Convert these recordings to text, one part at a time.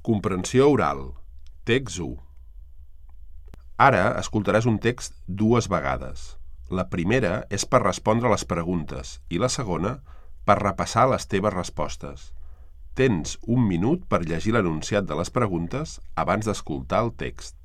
Comprensió oral. Text 1. Ara escoltaràs un text 2 vegades. La primera és per respondre les preguntes i la segona per repassar les teves respostes. Tens 1 minut per llegir l'enunciat de les preguntes abans d'escoltar el text.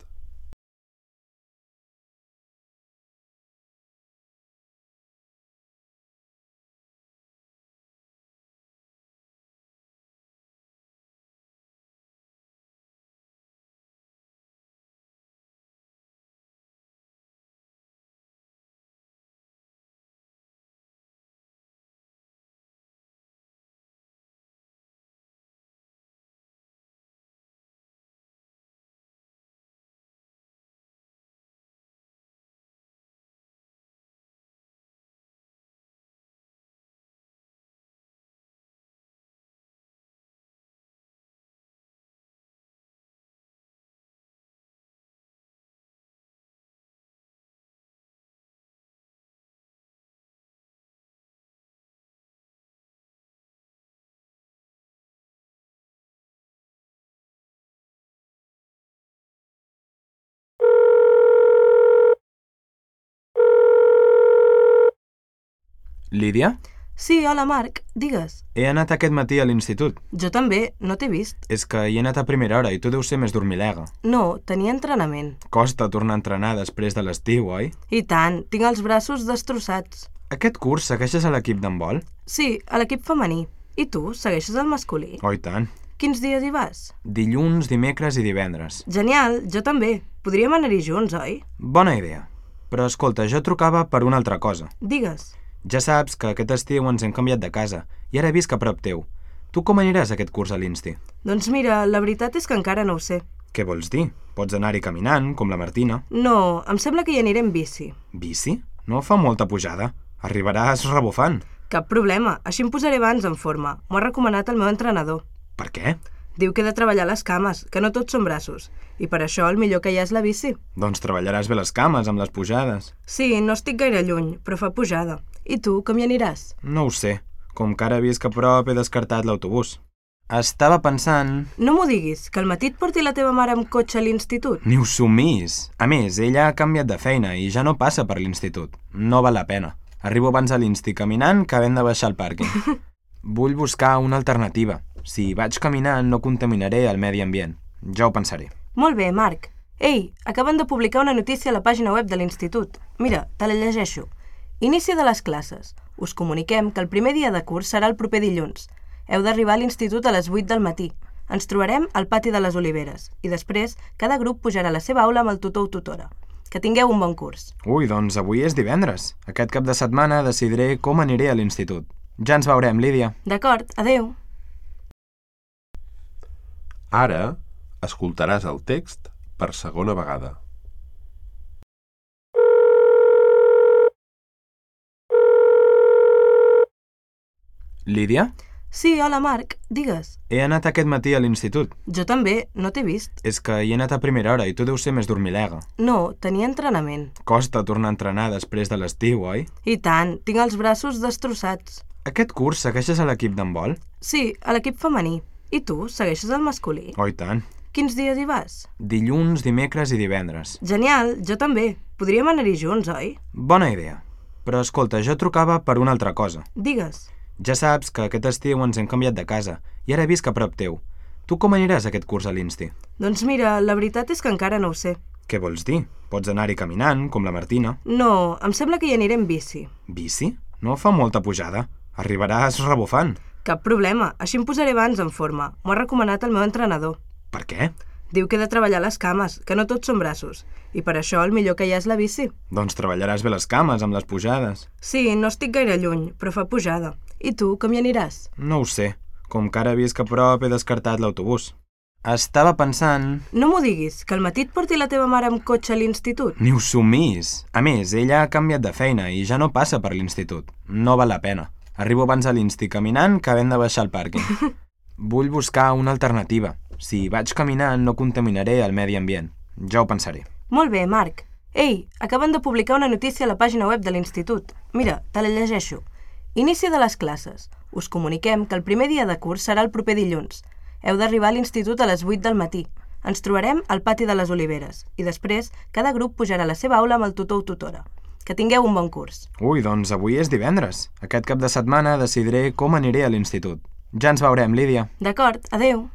Lídia? Sí, hola Marc, digues. He anat aquest matí a l'institut. Jo també, no t'he vist. És que hi he anat a primera hora i tu deus ser més dormilega. No, tenia entrenament. Costa tornar a entrenar després de l'estiu, oi? I tant, tinc els braços destrossats. Aquest curs segueixes a l'equip d'handbol? Sí, a l'equip femení. I tu, segueixes el masculí? Oh, i tant. Quins dies hi vas? Dilluns, dimecres i divendres. Genial, jo també. Podríem anar-hi junts, oi? Bona idea. Però escolta, jo trucava per una altra cosa. Digues. Ja saps que aquest estiu ens hem canviat de casa i ara visc a prop teu. Tu com aniràs aquest curs a l'Insti? Doncs mira, la veritat és que encara no ho sé. Què vols dir? Pots anar-hi caminant, com la Martina. No, em sembla que hi aniré en bici. Bici? No fa molta pujada. Arribaràs rebufant. Cap problema, així em posaré abans en forma. M'ho ha recomanat el meu entrenador. Per què? Diu que he de treballar les cames, que no tots són braços. I per això el millor que hi ha és la bici. Doncs treballaràs bé les cames amb les pujades. Sí, no estic gaire lluny, però fa pujada. I tu, com hi aniràs? No ho sé. Com que ara visc a prop he descartat l'autobús. Estava pensant... No m'ho diguis, que al matí et porti la teva mare amb cotxe a l'institut. Ni ho somís. A més, ella ha canviat de feina i ja no passa per l'institut. No val la pena. Arribo abans a l'Insti caminant que havent de baixar al pàrquing. Vull buscar una alternativa. Si vaig caminant no contaminaré el medi ambient. Ja ho pensaré. Molt bé, Marc. Ei, acaben de publicar una notícia a la pàgina web de l'institut. Mira, te la llegeixo. Inici de les classes. Us comuniquem que el primer dia de curs serà el proper dilluns. Heu d'arribar a l'institut a les 8 del matí. Ens trobarem al pati de les Oliveres. I després, cada grup pujarà a la seva aula amb el tutor o tutora. Que tingueu un bon curs. Ui, doncs avui és divendres. Aquest cap de setmana decidiré com aniré a l'institut. Ja ens veurem, Lídia. D'acord, adeu. Ara escoltaràs el text per segona vegada. Lídia? Sí, hola Marc, digues. He anat aquest matí a l'institut. Jo també, no t'he vist. És que hi he anat a primera hora i tu deus ser més dormilega. No, tenia entrenament. Costa tornar a entrenar després de l'estiu, oi? I tant, tinc els braços destrossats. Aquest curs segueixes a l'equip d'handbol? Sí, a l'equip femení. I tu, segueixes el masculí? Oh, i tant. Quins dies hi vas? Dilluns, dimecres i divendres. Genial, jo també. Podríem anar-hi junts, oi? Bona idea. Però escolta, jo trucava per una altra cosa. Digues. Ja saps que aquest estiu ens hem canviat de casa i ara visc a prop teu. Tu com aniràs aquest curs a l'Insti? Doncs mira, la veritat és que encara no ho sé. Què vols dir? Pots anar-hi caminant, com la Martina. No, em sembla que hi aniré en bici. Bici? No fa molta pujada. Arribaràs rebufant. Cap problema, així em posaré abans en forma. M'ho ha recomanat el meu entrenador. Per què? Diu que he de treballar les cames, que no tots són braços. I per això el millor que hi ha és la bici. Doncs treballaràs bé les cames amb les pujades. Sí, no estic gaire lluny, però fa pujada. I tu, com hi aniràs? No ho sé. Com que ara visc a prop he descartat l'autobús. Estava pensant... No m'ho diguis, que al matí et porti la teva mare amb cotxe a l'institut. Ni ho somís. A més, ella ha canviat de feina i ja no passa per l'institut. No val la pena. Arribo abans a l'Insti caminant que havent de baixar al pàrquing. Vull buscar una alternativa. Si vaig caminant no contaminaré el medi ambient. Ja ho pensaré. Molt bé, Marc. Ei, acaben de publicar una notícia a la pàgina web de l'institut. Mira, te la llegeixo. Inici de les classes. Us comuniquem que el primer dia de curs serà el proper dilluns. Heu d'arribar a l'institut a les 8 del matí. Ens trobarem al pati de les Oliveres i després cada grup pujarà a la seva aula amb el tutor o tutora. Que tingueu un bon curs. Ui, doncs avui és divendres. Aquest cap de setmana decidiré com aniré a l'institut. Ja ens veurem, Lídia. D'acord, adeu.